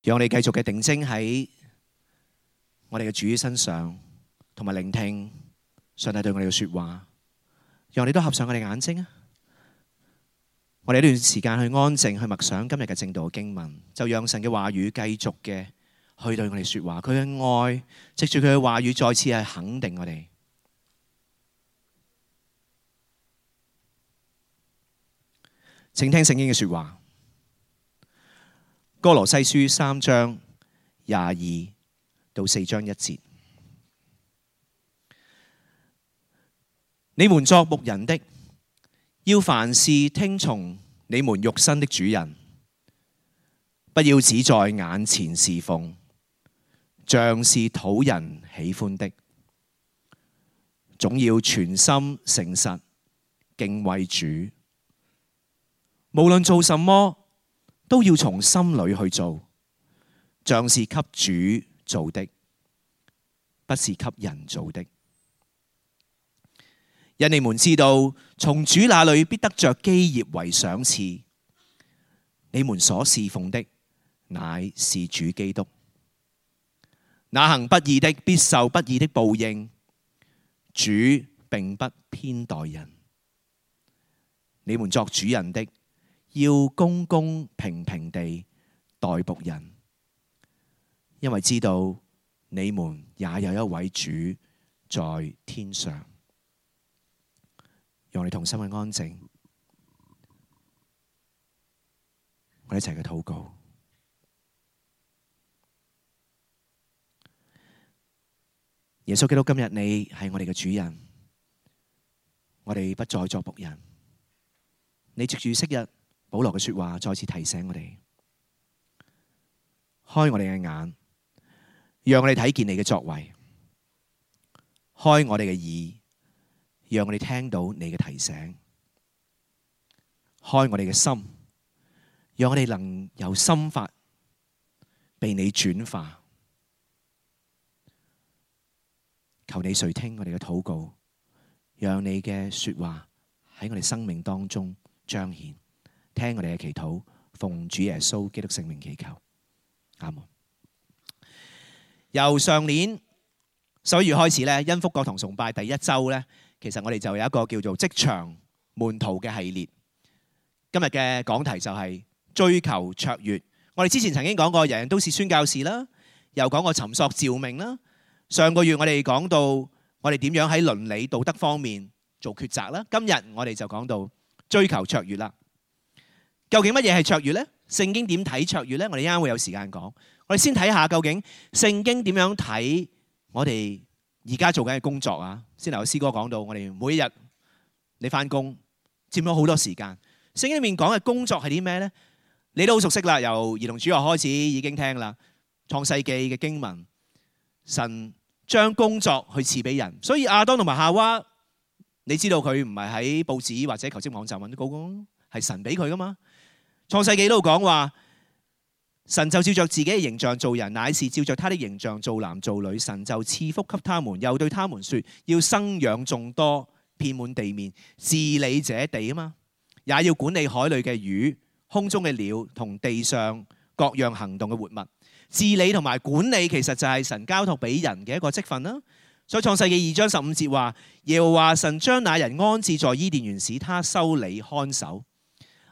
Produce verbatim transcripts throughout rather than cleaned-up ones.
讓我哋繼續嘅定睛喺我哋嘅主身上，同埋聆聽上帝對我哋嘅說話。讓我哋都合上我哋眼睛啊！我哋呢段時間去安靜去默想今日嘅正道嘅經文，就讓神嘅話語繼續嘅去對我哋說話。佢嘅愛藉住佢嘅話語再次係肯定我哋。請聽聖經嘅說話，歌羅西書三章廿二到四章一節。你們作牧人的，要凡事聽從你們肉身的主人，不要只在眼前侍奉，像是討人喜歡的，總要全心誠實敬畏主。無論做什麼，都要從心裏去做，像是給主做的，不是給人做的。因你們知道，從主那裏必得着基業為賞賜。你們所侍奉的，乃是主基督。那行不義的，必受不義的報應。主並不偏待人。你們作主人的，要公公平平地待僕人，因為知道你們也有一位主在天上。讓我哋同心去安靜，我哋一齊去禱告。耶穌基督，今日你係我哋嘅主人，我哋不再作僕人。你藉住昔日保羅嘅說話，再次提醒我哋，開我哋嘅眼，讓我哋睇見你嘅作為，開我哋嘅耳，讓我哋聽到你嘅提醒，開我哋嘅心，讓我哋能由心法被你轉化。求你垂聽我哋嘅禱告，讓你嘅說話喺我哋生命當中彰顯。聽我哋嘅祈禱，奉主耶穌基督聖名祈求，阿門。由上年十一月開始咧，恩福國堂崇拜第一周咧。其實我哋就有一個叫做職場門徒嘅系列。今日嘅講題就係追求卓越。我哋之前曾經講過，人人都是宣教士啦，又講過尋索召命啦。上個月我哋講到我哋點樣喺倫理道德方面做抉擇啦。今日我哋就講到追求卓越啦。究竟乜嘢係卓越呢？聖經點睇卓越呢？我哋一陣會有時間講。我哋先睇下究竟聖經點樣睇我哋而家做緊嘅工作啊。先頭有詩歌講到，我哋每一日你翻工佔咗好多時間。聖經裏面講嘅工作係啲咩呢？你都好熟悉啦，由兒童主學開始已經聽啦。創世記嘅經文，神將工作去賜俾人，所以亞當同埋夏娃，你知道佢唔係喺報紙或者求職網站揾到工，係神俾佢噶嘛。創世記都講話，神就照着自己嘅形象造人，乃是照着他的形象造男造女。神就賜福給他們，又對他們說，要生養眾多，遍滿地面，治理這地啊嘛，也要管理海裏嘅魚、空中嘅鳥同地上各樣行動嘅活物。治理同埋管理其實就係神交託俾人嘅一個職分啦。所以創世記二章十五節話，耶和華神將那人安置在伊甸園，使他修理看守。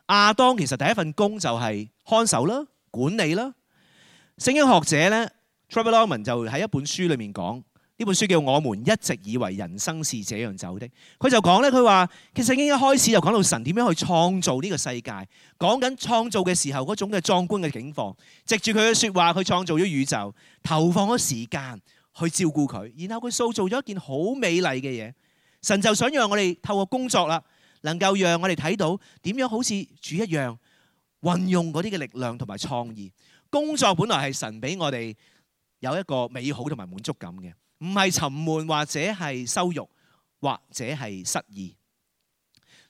亞當其實第一份工就係看守啦、管理啦。聖經學者咧 Trevor Lawman 就喺一本書裏面講，呢本書叫《我們一直以為人生是這樣走的》。佢就講咧，佢話其實聖經一開始就講到神點樣去創造呢個世界，講緊創造嘅時候嗰種嘅壯觀嘅境況，藉住佢嘅說話，佢創造咗宇宙，投放咗時間去照顧佢，然後佢塑造咗一件好美麗嘅嘢。神就想讓我哋透過工作啦，能夠讓我哋睇到點樣好似主一樣運用嗰啲嘅力量同埋創意。工作本來係神俾我哋有一個美好同埋滿足感嘅，唔係沉悶或者係羞辱或者係失意。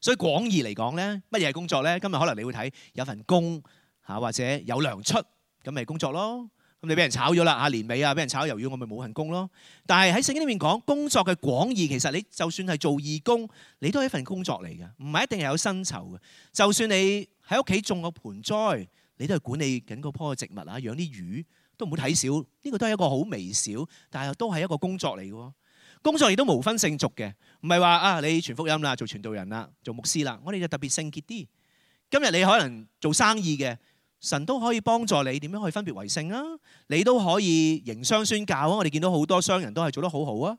所以廣義嚟講咧，乜嘢係工作咧？今日可能你會睇有份工嚇，或者有糧出，咁咪工作咯。咁你俾人炒咗啦嚇，年尾啊俾人炒魷魚，我咪冇份工咯。但係喺聖經裏面講工作嘅廣義，其實你就算係做義工，你都係一份工作嚟嘅，唔係一定係有薪酬嘅。就算你喺屋企種個盆栽，你都係管理緊嗰棵植物啊，養啲魚都唔好睇少。呢個都係一個好微小，但係都係一個工作嚟嘅。工作亦都無分聖俗嘅，唔係話啊你傳福音啦，做傳道人啦，做牧師啦，我哋就特別聖潔啲。今日你可能做生意嘅，神都可以幫助你點樣去分別為聖啊。你都可以營商宣教啊。我哋見到好多商人都係做得好好啊。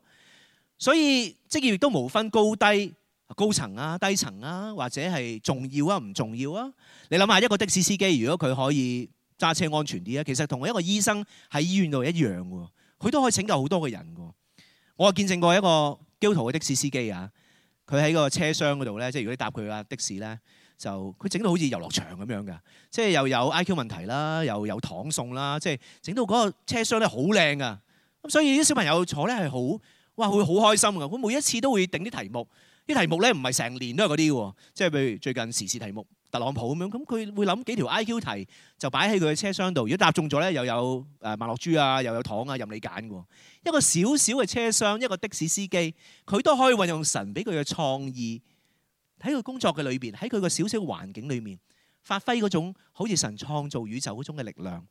所以職業亦都無分高低、高層啊、低層啊，或者係重要啊、唔重要啊。你諗下一個的士司機，如果佢可以揸車安全啲啊，其實同一個醫生喺醫院度一樣喎，佢都可以拯救好多嘅人㗎。我見證過一個基督徒嘅的士司機啊，佢喺個車廂嗰度咧，即係如果你搭佢架的士咧，就佢整到好似遊樂場咁樣㗎，即係又有 I Q 問題啦，又有糖餸啦，即係整到嗰個車廂咧好靚啊。咁所以啲小朋友坐咧係好哇，會好開心㗎。佢每一次都會定啲題目，啲題目咧唔係成年都係嗰啲喎，即係譬如最近時事題目特朗普咁樣，咁佢會諗幾條 I Q 題就擺喺佢嘅車廂度。如果答中咗咧，又有誒麥樂豬啊，又有糖啊，任你揀㗎。一個小小嘅車廂，一個的士司機，佢都可以運用神俾佢嘅創意喺佢工作嘅裏邊，喺佢個小小嘅環境裏面發揮嗰種好似神創造宇宙嗰種嘅力量。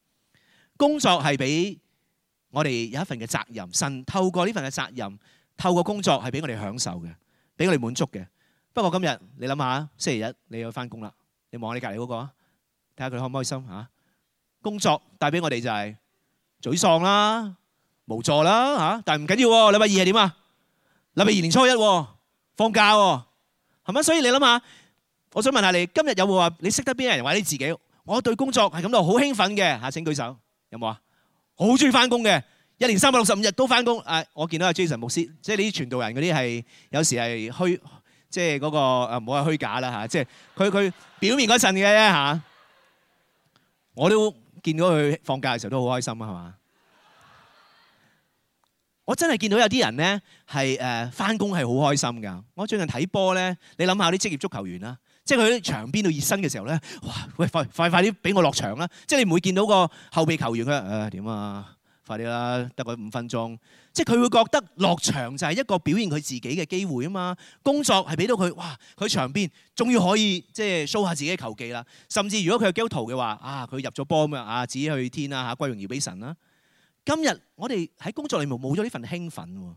工作係俾我哋有一份嘅責任，神透過呢份嘅責任，透過工作係俾我哋享受嘅，俾我哋滿足嘅。不過今日你諗下，星期日你要翻工啦，你望下你隔離嗰個啊，睇下佢開唔開心嚇。工作帶俾我哋就係沮喪啦、無助啦嚇，但係唔緊要喎。禮拜二係點啊？禮拜二年初一喎，放假喎，係咪？所以你諗下，我想問下你，今日有冇話你識得邊啲人或者你自己？我對工作係感到好興奮嘅嚇，請舉手，有冇啊？好中意翻工嘅，一年三百六十五日都翻工。誒，我見到阿 Jason 牧師，即係呢啲傳道人嗰啲係有時係虛，即係嗰個誒唔好話虛假啦嚇，即係佢佢表面嗰陣嘅啫嚇。我都見到佢放假嘅時候都好開心啊，係嘛？我真係見到有啲人咧係誒翻工係好開心㗎。我最近睇波咧，你諗下啲職業足球員啦，即係佢喺場邊度熱身嘅時候咧，哇！喂，快快快啲俾我落場啦！即係你唔會見到個後備球員佢誒點啊？快啲啦，得個五分鐘。即係佢會覺得落場就係一個表現佢自己嘅機會啊嘛。工作係俾到佢，哇！佢場邊終於可以即係 show 下自己嘅球技啦。甚至如果佢係基督徒嘅話，啊佢入咗波咁啊，指去天啦嚇，歸榮耀俾神啦。今日我哋喺工作裏面冇咗呢份興奮喎，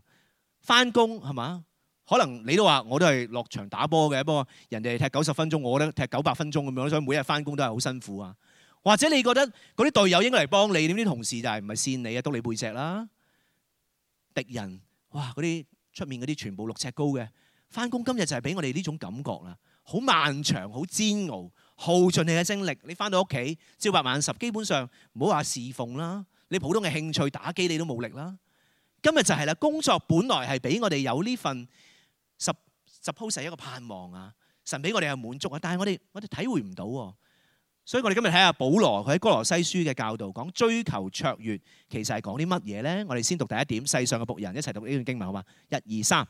翻工係嘛？可能你都話我都係落場打波嘅，不過人哋踢九十分鐘，我覺得踢九百分鐘咁樣，所以每日翻工都係好辛苦啊。或者你覺得嗰啲隊友應該嚟幫你，點啲同事就係唔係扇你啊，督你背脊啦？敵人哇，嗰啲出面嗰啲全部六尺高嘅，翻工今日就係俾我哋呢種感覺啦，好漫長，好煎熬，耗盡你嘅精力。你翻到屋企朝八晚十，基本上唔好話侍奉啦。你普通嘅興趣打機你都冇力啦。今日就係啦，工作本來係俾我哋有呢份 suppose 係一個盼望啊，神俾我哋係滿足啊，但係我哋我哋體會唔到喎。所以我哋今日睇下保羅佢喺哥羅西書嘅教導，講追求卓越，其實係講啲乜嘢咧？我哋先讀第一點，世上嘅僕人，一齊讀呢段經文好嘛？一二三，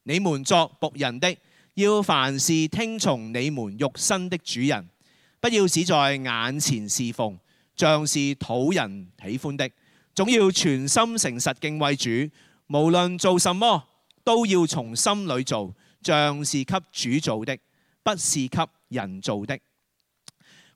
你們作僕人的，要凡事聽從你們肉身的主人，不要只在眼前侍奉，像是討人喜歡的，總要全心誠實敬畏主。無論做什麼，都要從心裏做，像是給主做的，不是給人做的。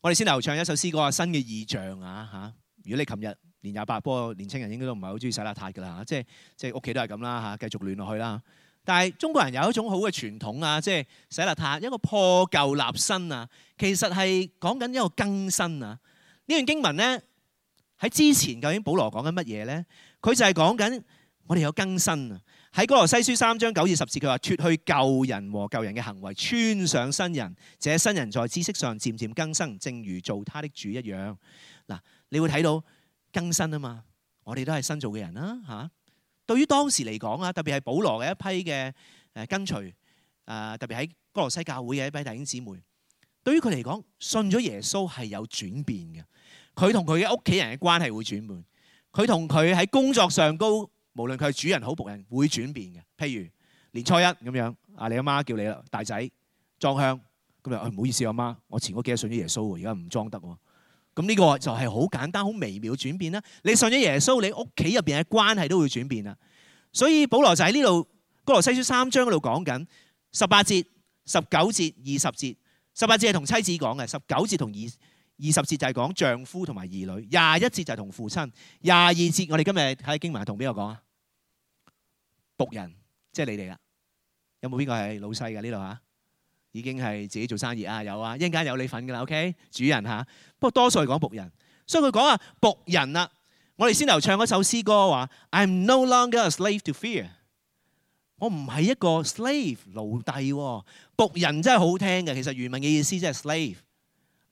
我哋先嚟唱一首詩歌啊，新嘅異象啊嚇！如果你琴日年廿八，不過年青人應該都唔係好中意洗邋遢㗎啦嚇，即係即係屋企都係咁啦嚇，繼續亂落去啦。但係中國人有一種好嘅傳統啊，即係洗邋遢，一個破舊立新啊，其實係講緊一個更新啊。呢段經文咧喺之前究竟保羅講緊乜嘢咧？佢就係講緊我哋有更新啊。喺哥羅西書三章九至十節，佢話脫去舊人和舊人嘅行為，穿上新人。這新人在知識上漸漸更新，正如做他的主一樣。嗱，你會睇到更新啊嘛。我哋都係新造嘅人啦嚇。對於當時嚟講啊，特別係保羅嘅一批嘅誒跟隨啊，特別喺哥羅西教會嘅一批弟兄姊妹，對於佢嚟講，信咗耶穌係有轉變嘅。佢同佢嘅屋企人嘅關係會轉變，佢同佢喺工作上高。無論佢係主人好僕人，會轉變嘅。譬如年初一咁樣，啊你阿媽叫你啦，大仔裝香，咁就唔好意思阿媽，我前嗰幾日信咗耶穌喎，而家唔裝得喎。咁呢個就係好簡單、好微妙轉變啦。你信咗耶穌，你屋企入邊嘅關係都會轉變啦。所以保羅就喺呢度哥羅西書三章嗰度講緊十八節、十九節、二十節。十八節係同妻子講嘅，十九節同二二十節就係講丈夫同埋兒女，廿一節就係同父親，廿二節我哋今日睇經文係同邊個講啊？僕人，即係你哋啦。有冇邊個係老細㗎呢度嚇？已經係自己做生意啊？有啊，一陣間有你份㗎啦。OK， 主人嚇。不過多數係講僕人，所以佢講啊僕人啦。我哋先頭唱嗰首詩歌話 I'm no longer a slave to fear。我唔係一個 slave 奴隸喎。僕人真係好聽嘅，其實原文嘅意思即係 slave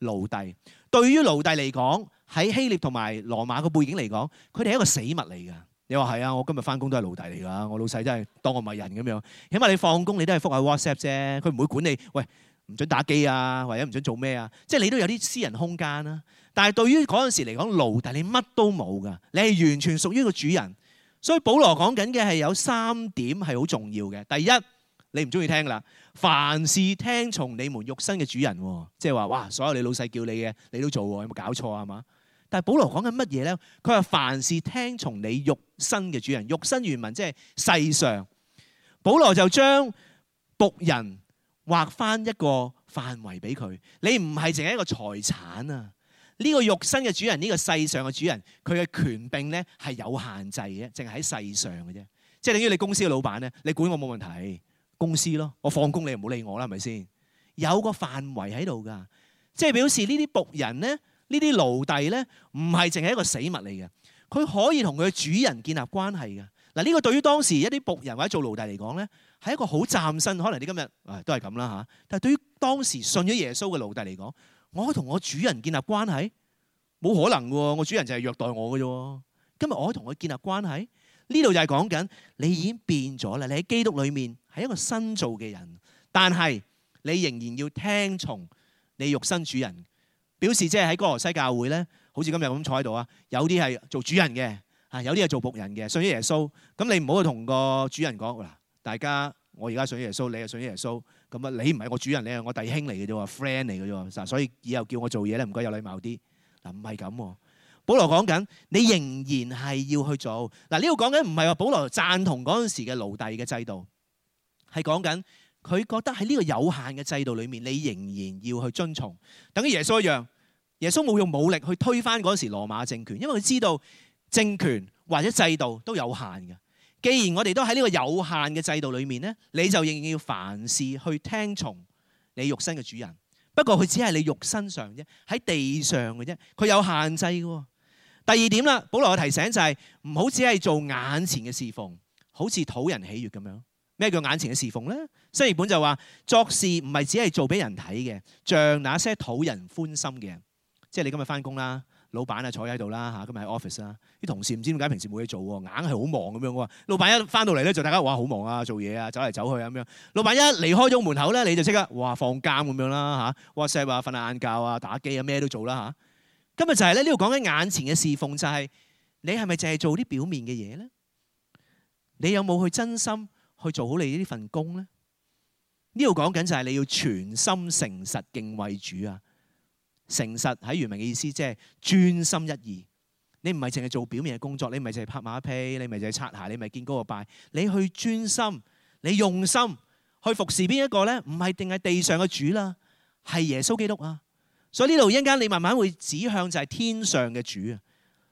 奴隸。對於奴隸嚟講，喺希臘同埋羅馬個背景嚟講，佢哋係一個死物嚟㗎。你話係啊？我今日翻工都係奴隸嚟㗎。我老細真係當我唔係人咁樣。起碼你放工你都係覆下 WhatsApp 啫，佢唔會管你。喂，唔准打機啊，或者唔准做咩啊？即係你都有啲私人空間啦。但係對於嗰陣時嚟講，奴隸你乜都冇㗎，你係完全屬於個主人。所以保羅講緊嘅係有三點係好重要嘅。第一，你唔中意聽啦，凡事聽從你們肉身嘅主人，即係話哇，所有你老細叫你嘅你都做喎，有冇搞錯啊？係嘛？但係保羅講緊乜嘢咧？佢話凡事聽從你肉身嘅主人，肉身原文即係世上。保羅就將僕人劃翻一個範圍俾佢，你唔係淨係一個財產啊！呢個肉身嘅主人，呢個世上嘅主人，佢嘅權柄咧係有限制嘅，淨係喺世上嘅啫。即係等於你公司嘅老闆咧，你管我冇問題，公司咯，我放工你唔好理我啦，係咪先？有個範圍喺度㗎，即係表示呢啲僕人咧。呢啲奴隸咧，唔係淨係一個死物嚟嘅，佢可以同佢嘅主人建立關係嘅。嗱，呢個對於當時一啲僕人或者做奴隸嚟講咧，係一個好嶄新。可能你今日啊都係咁啦嚇，但係對於當時信咗耶穌嘅奴隸嚟講，我可以同我主人建立關係，冇可能喎。我主人就係虐待我嘅啫。今日我可以同佢建立關係，呢度就係講緊你已經變咗啦。你喺基督裏面係一個新造嘅人，但係你仍然要聽從你肉身主人。表示即係喺哥羅西教會咧，好似今日咁坐喺度啊，有啲係做主人嘅，啊有啲係做僕人嘅，信咗耶穌。咁你唔好去同個主人講嗱，大家我而家信咗耶穌，你又信咗耶穌，咁啊你唔係我主人，你係我弟兄嚟嘅啫喎 ，friend 嚟嘅啫喎，所以以後叫我做嘢咧，唔該有禮貌啲。嗱唔係咁，保羅講緊你仍然係要去做。嗱呢度講緊唔係話保羅贊同嗰陣時嘅奴隸嘅制度，係講緊。佢覺得喺呢個有限嘅制度裏面，你仍然要去遵從，等於耶穌一樣。耶穌冇用武力去推翻嗰時羅馬政權，因為佢知道政權或者制度都有限嘅。既然我哋都喺呢個有限嘅制度裏面咧，你就仍然要凡事去聽從你肉身嘅主人。不過佢只係你肉身上啫，喺地上嘅啫，佢有限制嘅。第二點啦，保羅嘅提醒就係唔好只係做眼前嘅侍奉，好似討人喜悅咁樣。咩叫眼前嘅侍奉咧？新譯本就話作事唔係只係做俾人睇嘅，像那些討人歡心嘅人。即係你今日翻工啦，老闆啊坐喺度啦嚇，今日喺 office 啦，啲同事唔知點解平時冇嘢做喎，硬係好忙咁樣喎。老闆一翻到嚟咧就大家哇好忙啊，做嘢啊，走嚟走去咁樣。老闆一離開咗門口咧，你就即刻哇放監咁樣啦嚇 ，WhatsApp 啊、瞓下晏覺啊、打機啊咩都做啦嚇。今日就係咧呢度講緊眼前嘅侍奉，就係你係咪淨係做啲表面嘅嘢咧？你有冇去真心去做好你呢份工咧？呢度講緊就係你要全心誠實敬畏主啊！誠實喺原文嘅意思即係專心一意。你唔係淨係做表面嘅工作，你唔係淨係拍馬屁，你唔係淨係擦鞋，你唔係見高個拜，你去專心，你用心去服侍邊一個咧？唔係定係地上嘅主啦，係耶穌基督啊！所以呢度一陣間你慢慢會指向就係天上嘅主啊！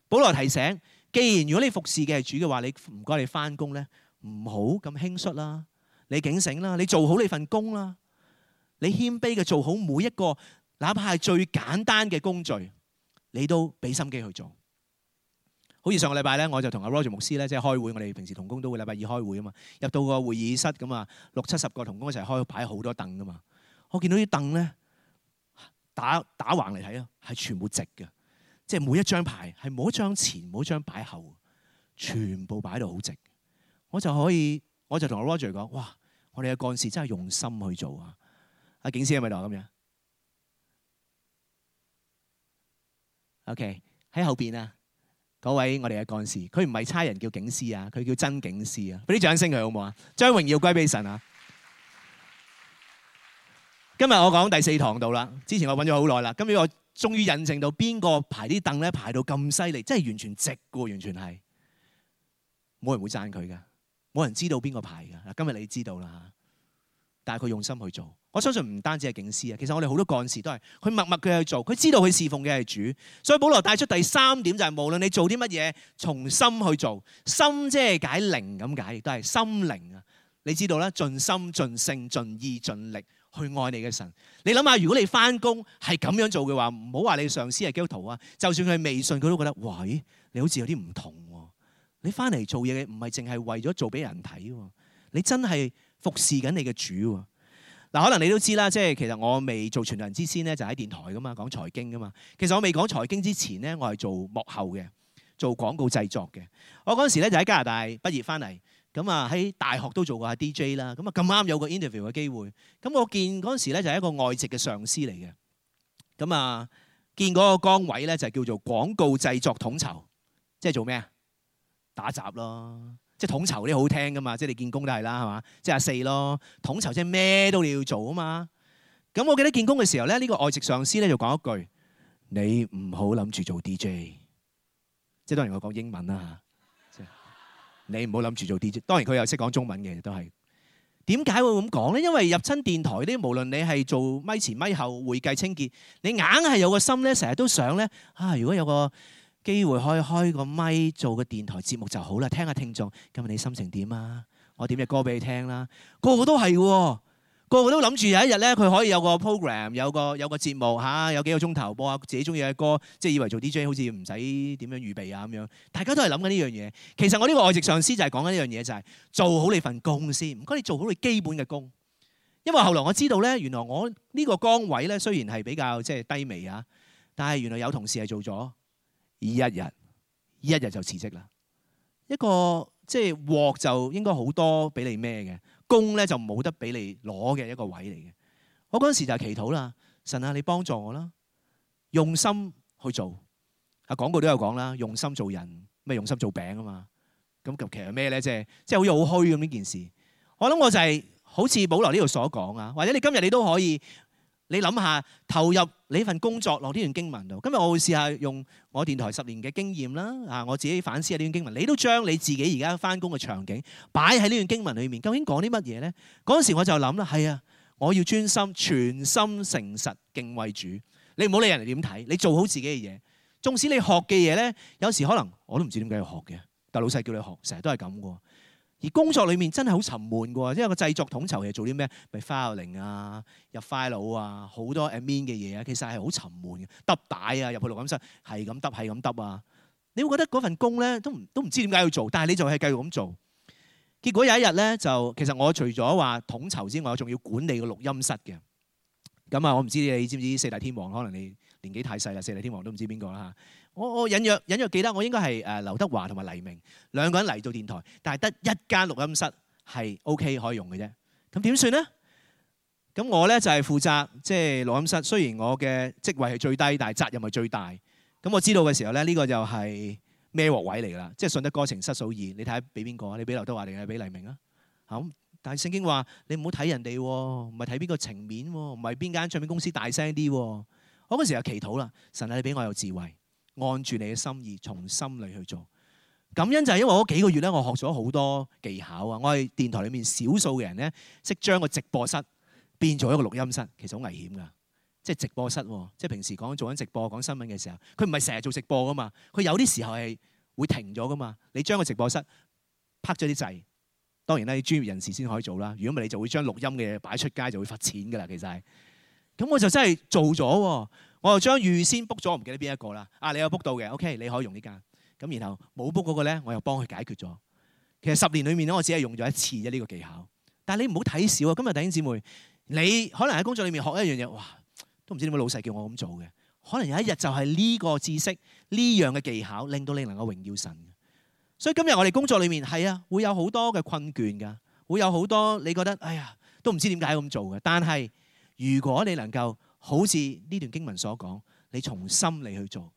保羅提醒，既然如果你服侍嘅係主嘅話，你唔該你翻工咧，唔好咁輕率啦。你警醒啦，你做好你份工啦，你謙卑嘅做好每一個，哪怕係最簡單嘅工序，你都俾心機去做。好似上個禮拜咧，我就同阿 Roger 牧師咧，即係開會，我哋平時同工都會禮拜二開會啊嘛。入到個會議室咁啊，六七十個同工一齊開，擺好多凳噶嘛。我見到啲凳咧，打打橫嚟睇啊，係全部直嘅，即係每一張牌係冇一張前，冇一張擺後，全部擺到好直。我就可以，我就同阿 Roger 講，哇！我哋嘅幹事真係用心去做啊！阿景師係咪度咁樣 ？OK， 喺後邊啊，嗰位我哋嘅幹事，佢唔係差人叫景師啊，佢叫真景師啊！俾啲掌聲佢好唔好啊？將榮耀歸俾神啊！今日我講第四堂度啦，之前我揾咗好耐啦，今日我終於印證到邊個排啲凳咧排到咁犀利，真係完全直嘅，完全係冇人會讚佢㗎。冇人知道邊個排㗎嗱，今日你知道啦，但係佢用心去做。我相信唔單止係警司啊，其實我哋好多幹事都係佢默默佢去做，佢知道佢侍奉嘅係主。所以保羅帶出第三點就係無論你做啲乜嘢，從心去做。心即係解靈咁解，亦都係心靈啊。你知道啦，盡心盡性盡意盡力去愛你嘅神。你諗下，如果你翻工係咁樣做嘅話，唔好話你上司係基督徒啊，就算佢係微信，佢都覺得喂，你好似有啲唔同喎。你翻嚟做嘢唔係淨係為咗做俾人睇喎，你真係服侍緊你嘅主喎。嗱，可能你都知啦，即係其實我未做傳道人之前咧，就喺電台噶嘛，講財經噶嘛。其實我未講財經之前咧，我係做幕後嘅，做廣告製作嘅。我嗰陣時咧就喺加拿大畢業翻嚟，咁啊喺大學都做過下 D J 啦。咁啊咁啱有個 interview 嘅機會，咁我見嗰陣時咧就係一個外籍嘅上司嚟嘅。咁啊見嗰個崗位咧就叫做廣告製作統籌，即係做咩啊？打雜咯。即係統籌啲好聽噶嘛，即係你見工都係啦，係嘛？即係阿四咯，統籌即係咩都你要做啊嘛。咁我記得見工嘅時候咧，呢個外籍上司咧就講一句：你唔好諗住做 D J。即係當然我講英文啦嚇，你唔好諗住做 D J。當然佢又識講中文嘅，都係。點解會咁講咧？因為入親電台啲，無論你係做咪前咪後、會計清潔，你硬係有個心咧，成日都想咧啊！如果有個機會可以開個咪做個電台節目就好啦，聽下聽眾今日你心情點啊？我點隻歌俾你聽啦。個個都係喎，個個都諗住有一日咧，佢可以有個 program， 有個有個節目嚇，有幾個鐘頭播下自己中意嘅歌，即係以為做 D J 好似唔使點樣預備啊咁樣。大家都係諗緊呢樣嘢。其實我呢個外籍上司就係講緊呢樣嘢，就係做好你份工先，唔該你做好你基本嘅工。因為後來我知道咧，原來我呢個崗位咧雖然係比較即係低微啊，但係原來有同事係做咗一日，一日就辭職啦。一個即係鑊就應該好多俾你孭嘅，工咧就冇得俾你攞嘅一個位嚟嘅。我嗰陣時就係祈禱啦，神啊，你幫助我啦，用心去做。啊廣告都有講啦，用心做人，咩用心做餅啊嘛。咁其實咩咧？即係即係好似好虛咁呢件事。我諗我就係好似保羅呢度所講啊，或者你今日你都可以。你諗下投入你份工作落呢段經文度。今日我會試下用我電台十年嘅經驗啦，啊我自己反思下呢段經文。你都將你自己而家翻工嘅場景擺喺呢段經文裏面，究竟講啲乜嘢咧？嗰陣時我就諗啦，係啊，我要專心、全心誠實敬畏主。你唔好理人哋點睇，你做好自己嘅嘢。縱使你學嘅嘢咧，有時可能我都唔知點解要學嘅，但老細叫你學，成日都係咁嘅。而工作裏面真係好沉悶嘅喎，因為個製作統籌係做啲咩？咪 filing 啊、入 file 啊、好多 admin 嘅嘢啊，其實係好沉悶嘅。揼帶啊，入去錄音室係咁揼，係咁揼啊。你會覺得嗰份工咧都唔都唔知點解要做，但係你就係繼續咁做。結果有一日咧，就其實我除咗話統籌之外，我仲要管理個錄音室嘅。咁啊，我唔知你知唔知四大天王？可能你年紀太細啦，四大天王都唔知邊個啦嚇。我我隱約隱約記得，我應該係誒劉德華同埋黎明兩個人嚟到電台，但係得一間錄音室係 OK 可以用嘅啫。咁點算咧？咁我咧就係負責即係錄音室。雖然我嘅職位係最低，但係責任係最大。咁我知道嘅時候咧，呢個就係孭鑊位嚟㗎啦。即係順得哥情失嫂意，你睇下俾邊個啊？你俾劉德華定係俾黎明啊？咁但係聖經話你唔好睇人哋喎，唔係睇邊個情面喎，唔係邊間唱片公司大聲啲喎。我嗰時就祈禱啦，神啊，你俾我有智慧。按住你嘅心意，從心裏去做。感恩就係因為我嗰幾個月咧，我學咗好多技巧啊！我係電台裏面少數嘅人咧，識將個直播室變做一個錄音室，其實好危險㗎。即係直播室，即係平時講做緊直播講新聞嘅時候，佢唔係成日做直播㗎嘛，佢有啲時候係會停咗㗎嘛。你將個直播室拍咗啲掣，當然咧，專業人士先可以做啦。如果唔係，你就會將錄音嘅嘢擺出街，就會罰錢㗎啦。其實係咁，我就真係做咗。我就將預先 book 咗，我唔記得邊一個啦。啊，你有 book 到嘅 ，OK， 你可以用呢間。咁然後冇 book 嗰個咧，我又幫佢解決咗。其實十年裏面咧，我只係用咗一次啫呢個技巧。但係你唔好睇少啊！今日弟兄姊妹，你可能喺工作裏面學一樣嘢，哇，都唔知點解老細叫我咁做嘅。可能有一日就係呢個知識、呢樣嘅技巧，令到你能夠榮耀神。所以今日我哋工作裏面係啊，會有好多嘅困倦㗎，會有好多你覺得哎呀都唔知點解咁做嘅。但係如果你能夠好似呢段經文所講，你從心嚟去做，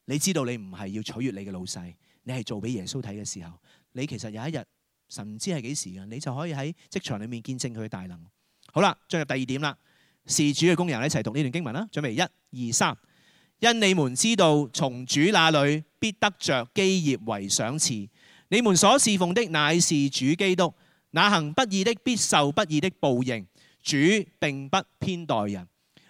你知道你唔係要取悅你嘅老細，你係做俾耶穌睇嘅時候，你其實有一日神唔知係幾時嘅，你就可以喺職場裏面見證佢嘅大能。好啦，進入第二點啦，是主嘅工人，一齊讀呢段經文啦。準備一二三，因你們知道從主那裏必得着基業為賞賜，你們所侍奉的乃是主基督，那行不義的必受不義的報應。主並不偏待人。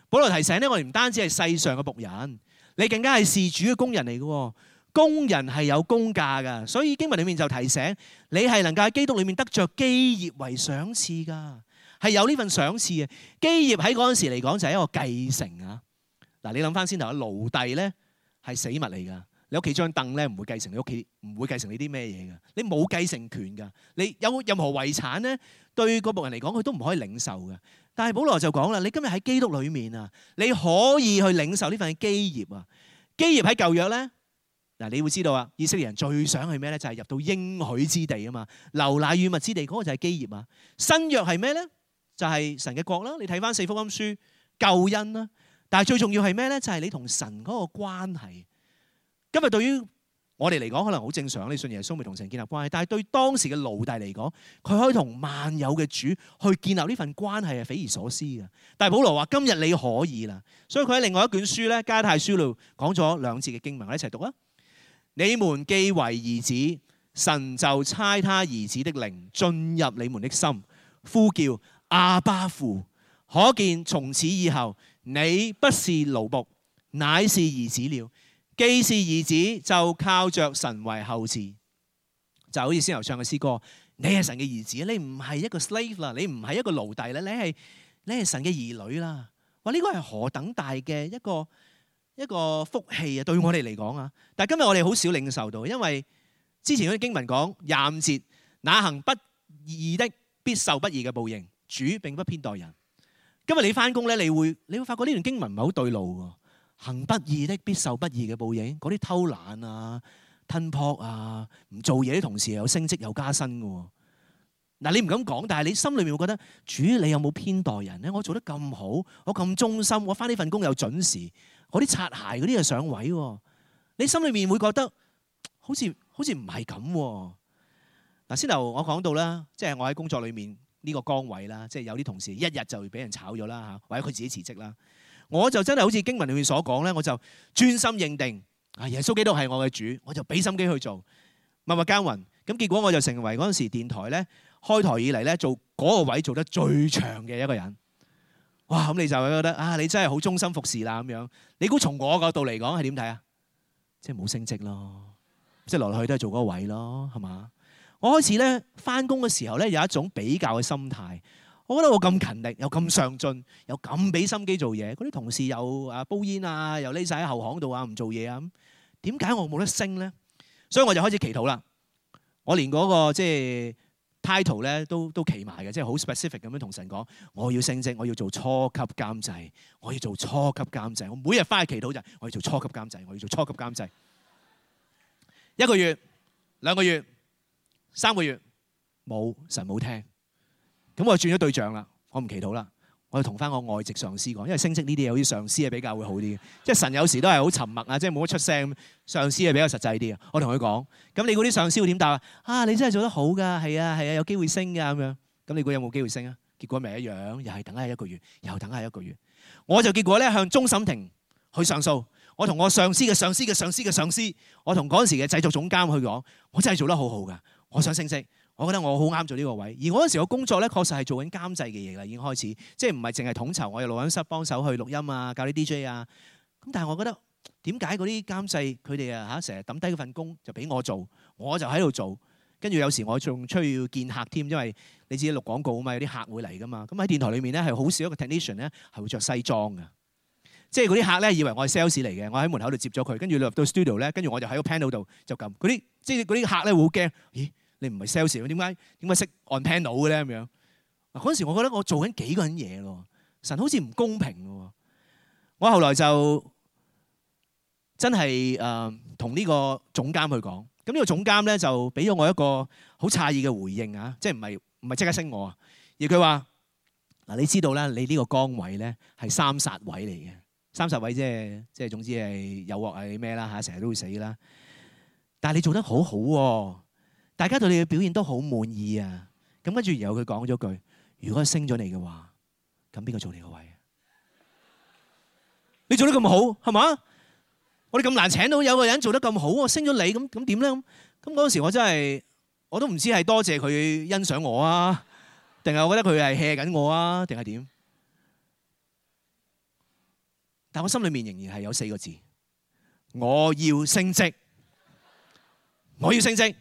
保羅提醒咧，我哋唔單止係世上嘅僕人，你更加係事主嘅工人嚟嘅。工人係有工價㗎，所以經文裏面就提醒你係能夠喺基督裏面得着基業為賞賜㗎，係有呢份賞賜嘅。基業喺嗰陣時嚟講就係一個繼承啊。嗱，你諗翻先頭，奴隸咧係死物嚟㗎。你屋企張凳咧唔會繼承你屋企，唔會繼承你啲咩嘢㗎。你冇繼承權㗎。你有任何遺產咧，對嗰僕人嚟講佢都唔可以領受㗎。但係保羅就講啦，你今日喺基督裏面啊，你可以去領受呢份基業啊。基業喺舊約咧。嗱，你會知道啊，以色列人最想係咩咧？就係入到應許之地啊嘛，流奶與蜜之地，嗰個就係基業啊。新約係咩咧？就係神嘅國啦。你睇翻四福音書，救恩啦。但係最重要係咩咧？就係你同神嗰個關係。今日對於我哋嚟講，可能好正常，你信耶穌咪同神建立關係。但係對當時嘅奴隸嚟講，佢可以同萬有嘅主去建立呢份關係係匪夷所思嘅。但係保羅話：今日你可以啦。所以佢喺另外一卷書咧，加太書度講咗兩節嘅經文，我哋一齊讀啊！你們既為兒子，神就差他兒子的靈進入你們的心，呼叫阿爸父。可見從此以後，你不是奴僕，乃是兒子了。既是兒子，就靠着神為後嗣。就好似先頭唱嘅詩歌，你係神嘅兒子，你唔係一個 slave 啦，你唔係一個奴隸啦，你係你係神嘅兒女啦。哇！呢個係何等大嘅一個一個福氣啊！對我哋嚟講啊，但係今日我哋好少領受到，因為之前嗰啲經文講廿五節，那行不義的必受不義嘅報應，主並不偏待人。今日你翻工咧，你會你會發覺呢段經文唔係好對路喎。行不義的必受不義嘅報應，嗰啲偷懶啊、吞撲啊、唔做嘢啲同事有升職有加薪嘅。嗱，你唔敢講，但係你心裏面會覺得主，你有冇偏待人咧？我做得咁好，我咁忠心，我翻呢份工又準時。嗰啲擦鞋嗰啲又上位喎，你心裏面會覺得好似好似唔係咁喎。嗱，先頭我講到啦，即係我喺工作裏面呢個崗位啦，即係有啲同事一日就俾人炒咗啦嚇，或者佢自己辭職啦。我就真係好似經文裏面所講咧，我就專心認定啊，耶穌基督係我嘅主，我就俾心機去做，默默耕耘。咁結果我就成為嗰陣時電台咧開台以嚟咧做嗰個位做得最長嘅一個人。哇！咁你就會覺得啊，你真係好忠心服侍啦咁樣。你估從我角度嚟講係點睇啊？即係冇升職咯，即係來來去都係做嗰個位咯，係嘛？我開始咧翻工嘅時候咧有一種比較嘅心態。我覺得我咁勤力，又咁上進，又咁俾心機做嘢，嗰啲同事又啊煲煙啊，又匿晒喺後巷度啊，唔做嘢啊，咁點解我冇得升咧？所以我就開始祈禱啦。我連嗰個即係 title 咧都都企埋嘅，即係好 specific 咁樣同神講，我要升職，我要做初級監製，我要做初級監製。我每日翻去祈禱就係我要做初級監製，我要做初級監製。一個月、兩個月、三個月冇，神冇聽。咁我就轉咗對象啦，我唔祈禱啦，我就同翻我外籍上司講，因為升職呢啲嘢好似上司係比較會好啲嘅，即係神有時都係好沉默啊，即係冇乜出聲，上司係比較實際啲啊。我同佢講，咁你估啲上司會點答啊？啊，你真係做得好㗎，係啊係啊，有機會升㗎咁樣。咁你估有冇機會升啊？結果咪一樣，又係等下一個月，又等下一個月。我就結果咧向終審庭去上訴，我同我上司嘅上司嘅上司嘅上司，我同嗰陣時嘅製作總監去講，我真係做得好好㗎，我想升職。我覺得我好啱做呢個位，而我嗰陣時個工作咧，確實係做緊監製嘅嘢啦，已經開始，即係唔係淨係統籌，我有錄音室幫手去錄音啊，教啲 D J 啊。咁但係我覺得點解嗰啲監製佢哋啊嚇成日抌低嗰份工就俾我做，我就喺度做，跟住有時我仲出去要見客添，因為你自己錄廣告啊嘛，有啲客會嚟噶嘛。咁喺電台裏面咧係好少一個 technician 咧係會着西裝嘅，即係嗰啲客咧以為我係 sales 嚟嘅，我喺門口度接咗佢，跟住入到 studio 咧，跟住我就喺個 panel 度就撳嗰啲，即係嗰啲客咧會好驚，咦？你唔係 sales 點解點解識按 panel 嘅咧咁樣？嗱，嗰陣時我覺得我做緊幾個人嘢咯，神好似唔公平喎。我後來就真係誒同呢個總監去講，咁呢個總監咧就俾咗我一個好詫異嘅回應啊，即係唔係唔係即刻升我啊？而佢話嗱，你知道啦，你呢個崗位咧係三殺位嚟嘅，三殺位即係即係總之係誘惑係咩啦嚇，成日都會死啦。但係你做得好好喎。大家對你嘅表現都好滿意啊！咁跟住然後佢講咗句：如果升咗你嘅話，咁邊個做你個位啊？你做得咁好係嘛？我哋咁難請到有個人做得咁好，我升咗你，咁咁點咧？咁咁嗰陣時我真係我都唔知係多謝佢欣賞我啊，定係我覺得佢係 hea 緊我啊？定係點？但我心裏面仍然係有四個字：我要升職，我要升職。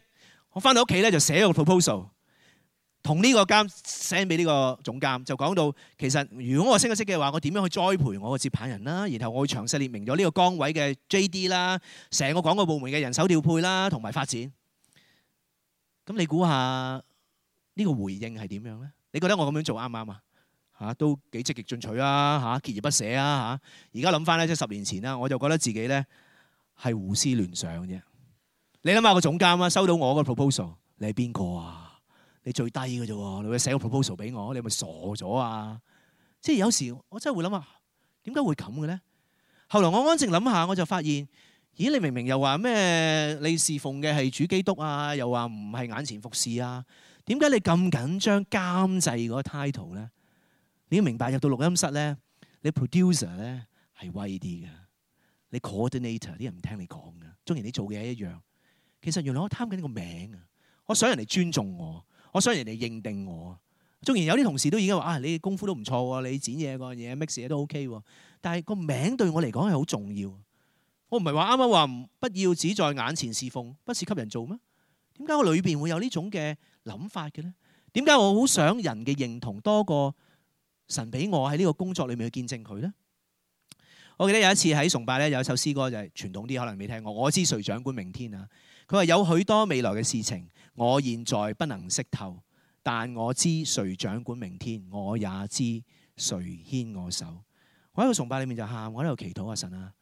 我翻到屋企咧就寫個 proposal， 同呢個監 send 俾呢個總監，就講到其實如果我升咗職嘅話，我點樣去栽培我個接棒人啦？然後我會詳細列明咗呢個崗位嘅 J D 啦，成個廣告部門嘅人手調配啦，同埋發展。咁你估下呢個回應係點樣咧？你覺得我咁樣做啱唔啱啊？嚇都幾積極進取啊！嚇鍥而不捨啊！嚇而家諗翻咧，即係十年前啦，我就覺得自己咧係胡思亂想啫。你諗下個總監啊，收到我個 proposal， 你係邊個啊？你最低嘅啫喎，你會寫個 proposal 俾我，你係咪傻咗啊？即係有時我真係會諗下，點解會咁嘅咧？後來我安靜諗下，我就發現，咦？你明明又話咩？你侍奉嘅係主基督啊，又話唔係眼前服侍啊？點解你咁緊張監製嗰個 title 咧？你要明白入到錄音室咧，你 producer 咧係威啲嘅，你 coordinator 啲人唔聽你講嘅，縱然你做嘅嘢一樣。其實原來我貪緊個名啊！我想人哋尊重我，我想人哋認定我。縱然有啲同事都已經話啊，你功夫都唔錯喎，你剪嘢個嘢 mix 嘢都 OK 喎。但係個名對我嚟講係好重要。我唔係話啱啱話不要只在眼前侍奉，不是給人做咩？點解我裏邊會有呢種嘅諗法嘅咧？點解我好想人嘅認同多過神俾我喺呢個工作裏面去見證佢咧？我記得有一次喺崇拜咧，有一首詩歌就係傳統啲，可能未聽過。我知誰掌管明天啊！佢話有許多未來嘅事情，我現在不能識透，但我知誰掌管明天，我也知誰牽我手。我喺個崇拜裏面就喊，我喺度祈禱啊，神啊，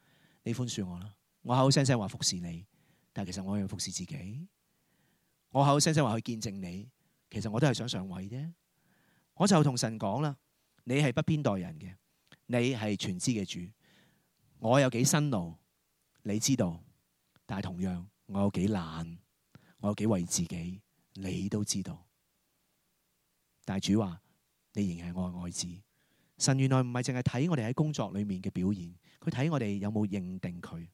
你寬恕我啦！我口口聲聲話服侍你，但係其實我要服侍自己。我口口聲聲話去見證你，其實我都係想上位啫。我就同神講啦，你係不偏待人嘅，你係全知嘅主。我有幾辛勞，你知道，但係同樣我有幾懶，我有幾為自己，你都知道。但係主話，你仍然係我嘅愛子。神原來唔係淨係睇我哋喺工作裏面嘅表現，佢睇我哋有冇認定佢。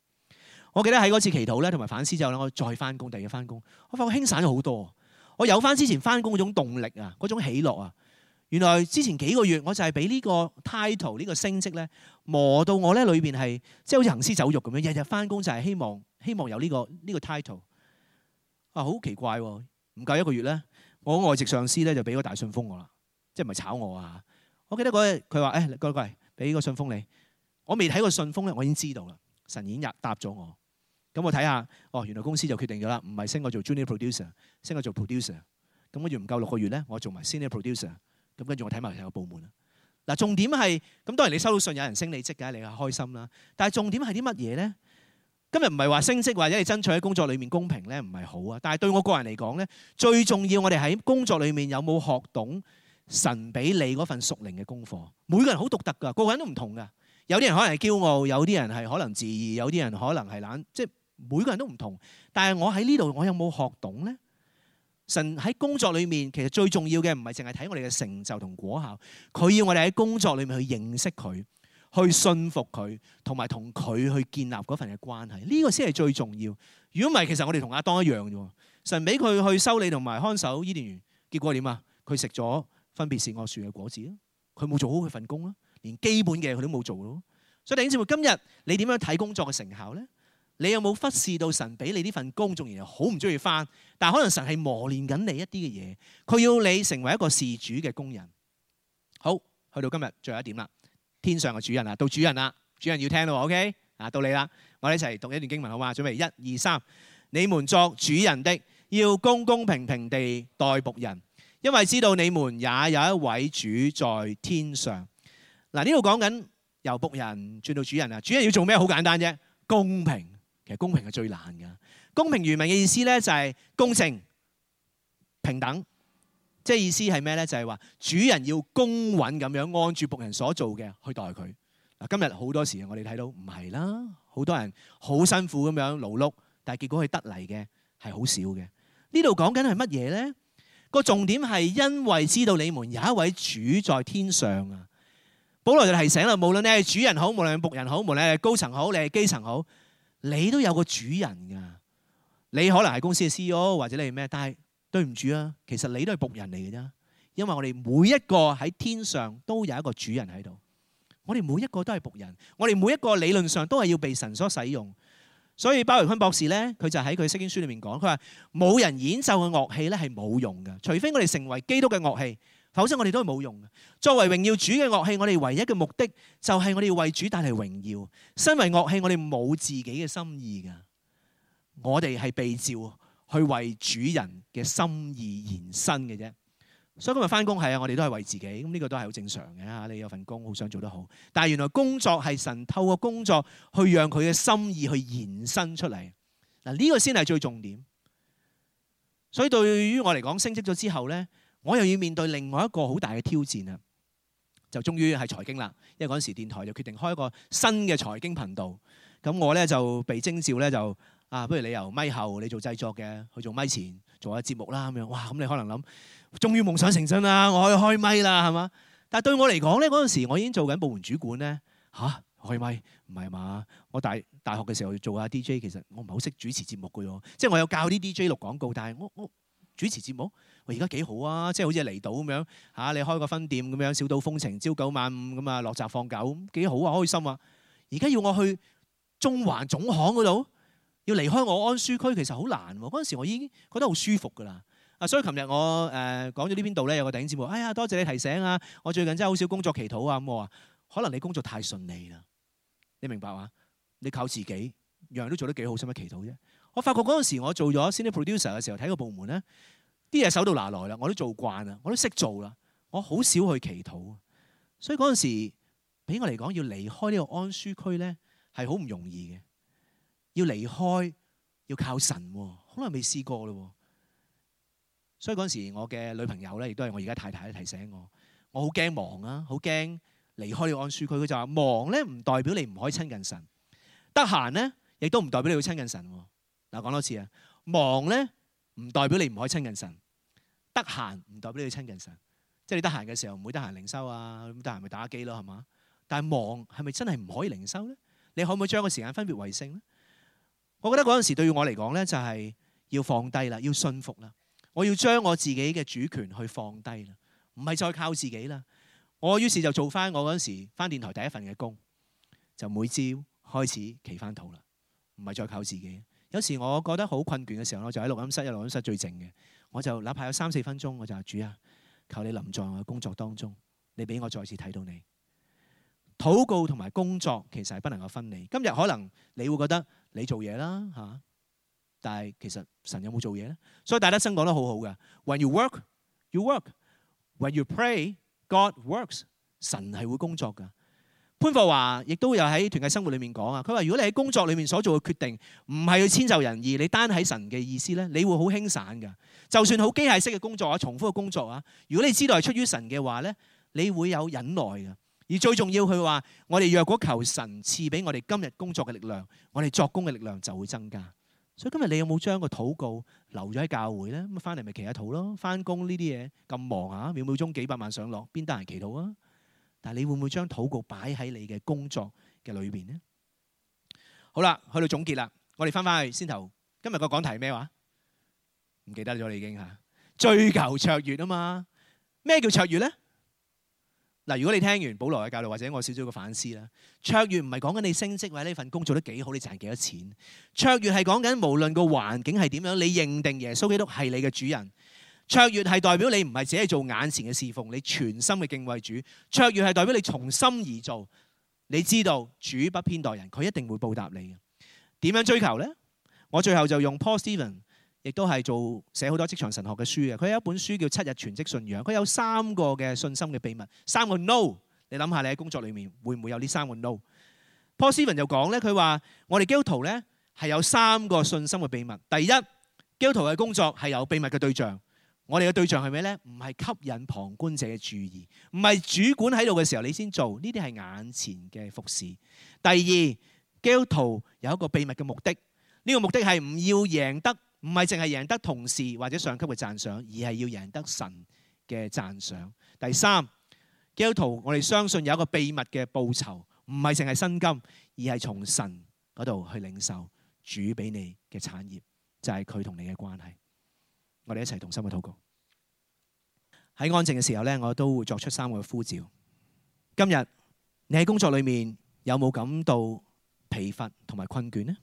我記得喺嗰次祈禱咧，同埋反思之後咧，我再翻工，第二日翻工，我發覺輕散咗好多。我有翻之前翻工嗰種動力啊，嗰種喜樂啊。原來之前幾個月我就係俾呢個 title 呢個升職咧磨到我咧裏邊係即係好似行屍走肉咁樣，日日翻工就係希望希望有呢個呢個 title 啊，好奇怪喎！唔夠一個月咧，我外籍上司咧就俾個大信封我啦，即係唔係炒我啊？我記得嗰日佢話誒，過嚟過嚟，俾個信封你。我未睇過信封咧，我已經知道啦。神已經答咗我。咁我睇下，哦，原來公司就決定咗啦，唔係升我做 junior producer， 升我做 producer。咁跟住唔夠六個月咧，我做埋 senior producer。咁跟住我睇埋成個部門啦。嗱，重點係咁，當然你收到信有人升你職嘅，你係開心啦。但係重點係啲乜嘢咧？今日唔係話升職或者你爭取喺工作裏面公平咧，唔係好啊。但係對我個人嚟講咧，最重要我哋喺工作裏面有冇學懂神俾你嗰份屬靈嘅功課。每個人好獨特㗎，個個人都唔同㗎。有啲人可能係驕傲，有啲人係可能自義，有啲人可能係懶，即係每個人都唔同。但係我喺呢度，我有冇學懂咧？神喺工作裏面，其實最重要嘅唔係淨係睇我哋嘅成就同果效，佢要我哋喺工作裏面去認識佢，去信服佢，同埋同佢去建立嗰份嘅關係。呢個先係最重要。如果唔係，其實我哋同亞當一樣啫。神俾佢去修理同埋看守伊甸園，結果點啊？佢食咗分別善惡樹嘅果子，佢冇做好佢份工啦，連基本嘅佢都冇做咯。所以弟兄姊妹，今日你點樣睇工作嘅成效咧？你有冇忽視到神俾你呢份工，縱然又好唔中意返，但係可能神係磨練緊你一啲嘅嘢，佢要你成為一個事主嘅工人。好，去到今日最後一點啦，天上嘅主人啊，到主人啦，主人要聽咯 ，OK？ 啊，到你啦，我哋一齊讀一段經文好嘛？準備一二三，你們作主人的，要公公平平地待僕人，因為知道你們也有一位主在天上。嗱，呢度講緊由僕人轉到主人啊，主人要做咩？好簡單啫，公平。其實公平係最難㗎。公平原文嘅意思咧就係公正、平等，即係意思係咩咧？就係話主人要公允咁樣按住僕人所做嘅去待佢。嗱，今日好多時我哋睇到唔係啦，好多人好辛苦咁樣勞碌，但係結果佢得嚟嘅係好少嘅。呢度講緊係乜嘢咧？個重點係因為知道你們有一位主在天上啊。保羅就提醒啦，無論你係主人好，無論係僕人好，無論你係高層好，你係基層好。你都有個主人㗎，你可能係公司嘅 C E O 或者你係咩，但係對唔住啊，其實你都係僕人嚟嘅啫。因為我哋每一個喺天上都有一個主人喺度，我哋每一個都係僕人，我哋每一個理論上都係要被神所使用。所以鮑榮坤博士咧，佢就喺佢釋經書裏面講，佢話冇人演奏嘅樂器咧係冇用嘅，除非我哋成為基督嘅樂器，否則我哋都係冇用嘅。作為榮耀主嘅樂器，我哋唯一嘅目的就係我哋要為主帶嚟榮耀。身為樂器，我哋冇自己嘅心意㗎，我哋係被召去為主人嘅心意延伸嘅啫。所以今日翻工係啊，我哋都係為自己，咁呢個都係好正常嘅嚇。你有份工，好想做得好，但係原來工作係神透過工作去讓佢嘅心意去延伸出嚟。嗱，呢個先係最重點。所以對於我嚟講，升職咗之後咧，我又要面對另外一個好大嘅挑戰啊！就終於係財經啦，因為嗰陣時電台就決定開一個新嘅財經頻道。咁我咧就被徵召咧就啊，不如你由咪後你做製作嘅，去做咪前做下節目啦咁樣。哇！咁你可能諗，終於夢想成真啦，我可以開咪啦，係嘛？但係對我嚟講咧，嗰陣時我已經做緊部門主管咧，嚇開咪唔係嘛？我大大學嘅時候做下 D J， 其實我唔係好識主持節目嘅喎，即係我有教啲 D J 錄廣告，但係我我主持節目，喂而家幾好啊！即係好似離島咁樣嚇，你開個分店咁樣，小島風情，朝九晚五咁啊，落閘放狗，幾好啊，開心啊！而家要我去中環總行嗰度，要離開我安舒區，其實好難喎。嗰陣時我已經覺得好舒服㗎啦。啊，所以琴日我誒講咗呢邊度咧，有個弟兄姊妹，哎呀，多謝你提醒啊！我最近真係好少工作祈禱啊。咁我話，可能你工作太順利啦，你明白嘛？你靠自己，樣樣都做得幾好，使乜祈禱啫？我發覺嗰陣時我做咗 senior producer 嘅時候，睇個部門咧，啲嘢手到拿來啦，我都做慣啦，我都識做啦，我好少去祈禱。所以嗰陣時俾我嚟講，要離開呢個安舒區咧，係好唔容易嘅。要離開，要靠神喎，好耐未試過咯。所以嗰陣時，我嘅女朋友咧，亦都係我而家太太提醒我，我好驚忙啊，好驚離開呢個安舒區。佢就話：忙咧唔代表你唔可以親近神，得閒咧亦都唔代表你要親近神。嗱，講多次啊，忙咧唔代表你唔可以親近神，得閒唔代表你要親近神。即係你得閒嘅時候唔會得閒靈修啊，咁得閒咪打機咯，係嘛？但係忙係咪真係唔可以靈修咧？你可唔可以將個時間分別為聖咧？我覺得嗰陣時對於我嚟講咧，就係要放低啦，要信服啦。我要將我自己嘅主權去放低啦，唔係再靠自己啦。我於是就做翻我嗰陣時翻電台第一份嘅工，就每朝開始祈翻禱啦，唔係再靠自己。有時我覺得好困倦嘅時候，我就喺錄音室，因為錄音室最靜嘅，我就哪怕有三四分鐘，我就話主啊，求你臨在我嘅工作當中，你俾我再次睇到你。禱告同埋工作其實係不能夠分離。今日可能你會覺得你做嘢啦嚇，但係其實神有冇做嘢咧？所以戴德生講得好好嘅 ，When you work, you work. When you pray, God works. 神係會工作噶。潘霍華亦都有喺團契生活裏面講啊，佢話如果你喺工作裏面所做嘅決定唔係去遷就人意，你單喺神嘅意思咧，你會好輕散噶。就算好機械式嘅工作啊，重複嘅工作啊，如果你知道係出於神嘅話咧，你會有忍耐嘅。而最重要，佢話我哋若果求神賜俾我哋今日工作嘅力量，我哋作工嘅力量就會增加。所以今日你有冇將個禱告留咗喺教會咧？咁翻嚟咪祈下禱咯。翻工呢啲嘢咁忙啊，秒秒鐘幾百萬上落，邊得閒祈禱啊？但係你會唔會將禱告擺喺你嘅工作嘅裏邊呢？好啦，去到總結啦，我哋翻返去先頭。今日個講題係咩話？唔記得咗你已經嚇。追求卓越啊嘛。咩叫卓越咧？嗱，如果你聽完保羅嘅教導，或者我少少嘅反思啦，卓越唔係講緊你升職或者呢份工做得幾好，你賺幾多錢。卓越係講緊無論個環境係點樣，你認定耶穌基督係你嘅主人。卓越係代表你唔係只係做眼前嘅侍奉，你全心嘅敬畏主。卓越係代表你從心而做，你知道主不偏待人，佢一定會報答你嘅。點樣追求呢？我最後就用 Paul Stevens， 亦都係做寫好多職場神學嘅書嘅。佢有一本書叫《七日全職信仰》，佢有三個嘅信心嘅秘密，三個 no。你諗下，你喺工作裏面會唔會有呢三個 no？Paul Stevens 就講咧，佢話我哋基督徒咧係有三個信心嘅秘密。第一，基督徒嘅工作係有秘密嘅對象。我哋嘅對象係咩咧？唔係吸引旁觀者嘅注意，唔係主管喺度嘅時候你先做，呢啲係眼前嘅服侍。第二，基督徒有一個秘密嘅目的，呢個目的係唔要贏得，唔係淨係贏得同事或者上級嘅讚賞，而係要贏得神嘅讚賞。第三，基督徒我哋相信有一個秘密嘅報酬，唔係淨係薪金，而係從神嗰度去領受主俾你嘅產業，就係佢同你嘅關係。我哋一齊同心去禱告。喺安靜嘅時候咧，我都會作出三個呼召。今日你喺工作裏面有冇感到疲乏同埋困倦呢？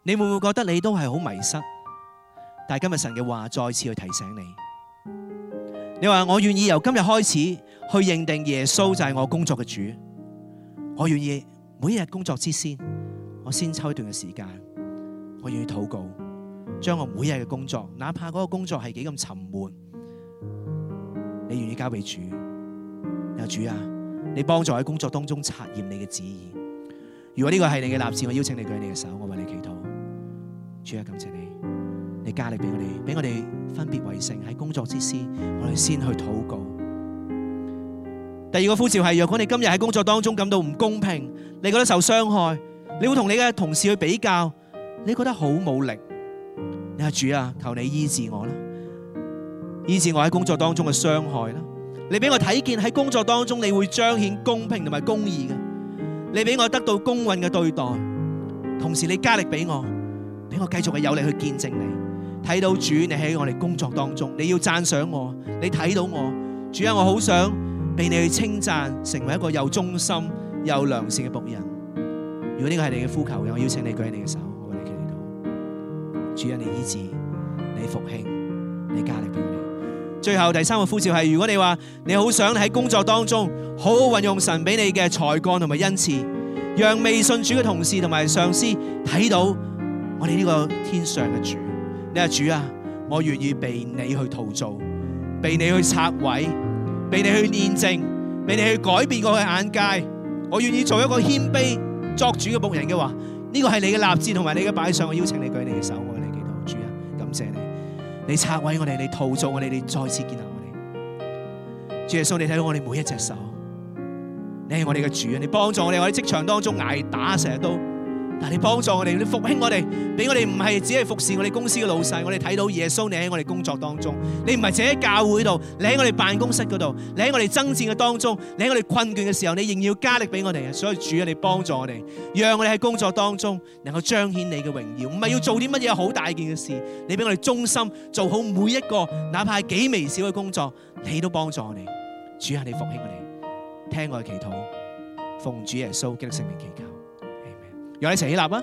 你會唔會覺得你都係好迷失？但係今日神嘅話再次去提醒你，你話我願意由今日開始去認定耶穌就係我工作嘅主，我願意每一日工作之先，我先抽一段嘅時間，我願意禱告，將我每日嘅工作，哪怕嗰個工作係幾咁沉悶，你願意交俾主。有主啊，你幫助喺工作當中察驗你嘅旨意。如果呢個係你嘅立志，我邀請你舉你嘅手，我為你祈禱。主啊，感謝你，你加力俾我哋，俾我哋分別為聖，喺工作之先，我哋先去禱告。第二個呼召係，若果你今日喺工作當中感到唔公平，你覺得受傷害，你會同你嘅同事去比較，你覺得好冇力，你話主啊，求你醫治我啦，醫治我喺工作當中嘅傷害啦。你俾我睇見喺工作當中你會彰顯公平同埋公義嘅，你俾我得到公允嘅對待，同時你加力俾我，俾我繼續嘅有力去見證你，睇到主你喺我哋工作當中，你要讚賞我，你睇到我，主啊，我好想被你去稱讚，成為一個又忠心又良善嘅僕人。如果呢個係你嘅呼求嘅，我邀請你舉起你嘅手，我為你祈禱。主啊，你醫治，你復興，你加力俾我哋。最後第三個呼召係，如果你話你好想喺工作當中好好運用神俾你嘅才幹同埋恩賜，讓未信主嘅同事同埋上司睇到我哋呢個天上嘅主。你話主啊，我願意被你去陶造，被你去拆毀，被你去煉淨，被你去改變我嘅眼界。我願意做一個謙卑作主嘅僕人嘅話，呢個係你嘅立志同埋你嘅擺上。我邀請你舉你嘅手，我為你祈禱。主啊，感謝你。你拆毀我哋，你陶造我哋，你再次建立我哋。主耶穌，你睇到我哋每一隻手，你係我哋嘅主啊！你幫助我哋，我喺職場當中捱打成日都，但係你幫助我哋，你復興我哋，俾我哋唔係只係服侍我哋公司嘅老細，我哋睇到耶穌你喺我哋工作當中，你唔係只喺教會度，你喺我哋辦公室嗰度，你喺我哋爭戰嘅當中，你喺我哋困倦嘅時候，你仍然要加力俾我哋啊！所以主啊，你幫助我哋，讓我哋喺工作當中能夠彰顯你嘅榮耀，唔係要做啲乜嘢好大件嘅事，你俾我哋忠心做好每一個，哪怕係幾微小嘅工作，你都幫助我哋。主啊，你復興我哋，聽我嘅祈禱，奉主耶穌基督聖名祈求。讓我哋一齊起立啊！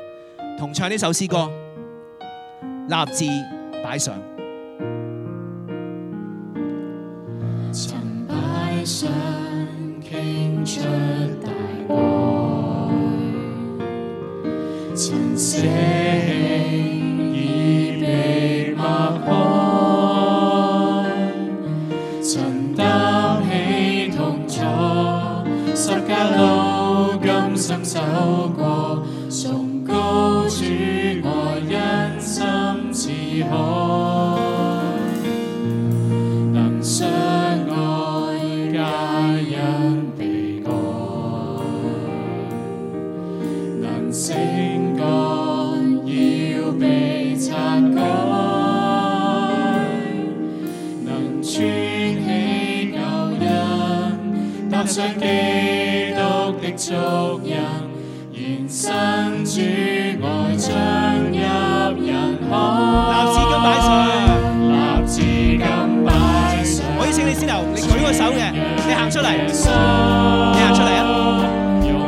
同唱呢首詩歌，立志擺上。曾擺上傾出大愛，曾捨棄已被擘開，曾擔起痛楚，十架路甘心走過。崇高主愛因心似海，能相愛皆因被愛，能勝過要被拆改，能穿起舊印，踏上基督的足印。延伸主愛將入人海，立志金擺上，立志金擺上。我邀請你先頭，你舉個手嘅，你行出嚟，你行出嚟啊！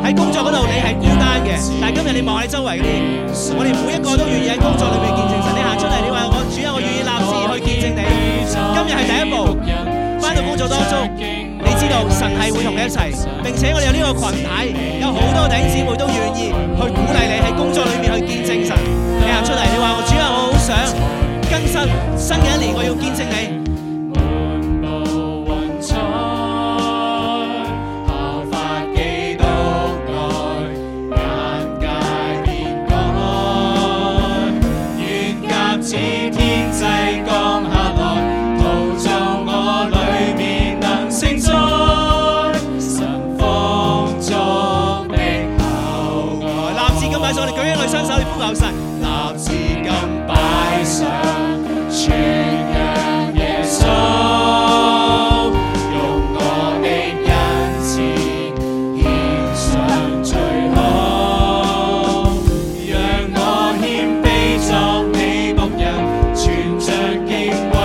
喺工作嗰度你係孤單嘅，但係今日你望下你周圍嗰啲，我哋每一個都願意喺工作裏面見證神。你行出嚟，你話我主啊，我願意立志去見證你。今日係第一步，返到工作當中。你知道神係會同你一齊，並且我哋有呢個群體，有好多弟兄姊妹都願意去鼓勵你喺工作裏面去見證神。你行出嚟，你話我主啊，我好想更新新嘅一年，我要見證你。神立志金擺上，傳揚耶穌，用我的恩賜獻上最好，讓我謙卑作你僕人，存着敬畏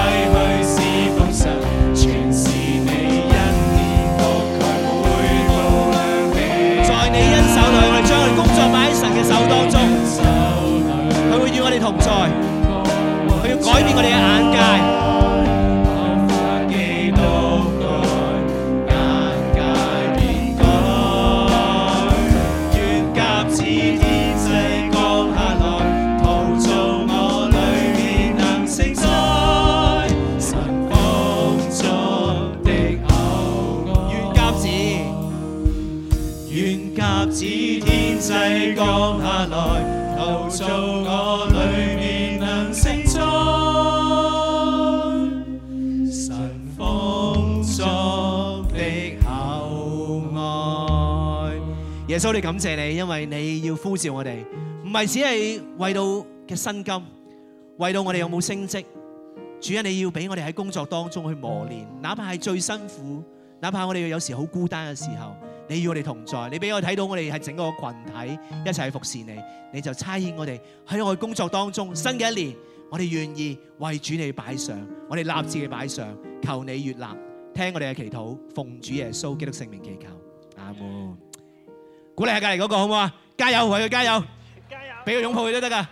似天際降下來，陶造我裏面能承載神豐足的厚愛。願鴿子，願鴿子天際降下來，陶造我裏面能承載神豐足的厚愛。耶穌，你感謝你，因為你要呼召我哋，唔係只係為到嘅薪金，為到我哋有冇升職。主啊，你要俾我哋喺工作當中去磨練，哪怕係最辛苦，哪怕我哋有時好孤單嘅時候，你與我哋同在，你俾我睇到我哋係整個群體一齊去服侍你，你就差遣我哋喺我哋工作當中。新嘅一年，我哋願意為主你擺上，我哋立志嘅擺上，求你悅納，聽我哋嘅祈禱，奉主耶穌基督聖名祈求，阿門。鼓勵下隔籬嗰個好唔好啊？加油，為佢加油，加油，俾個擁抱佢都得噶。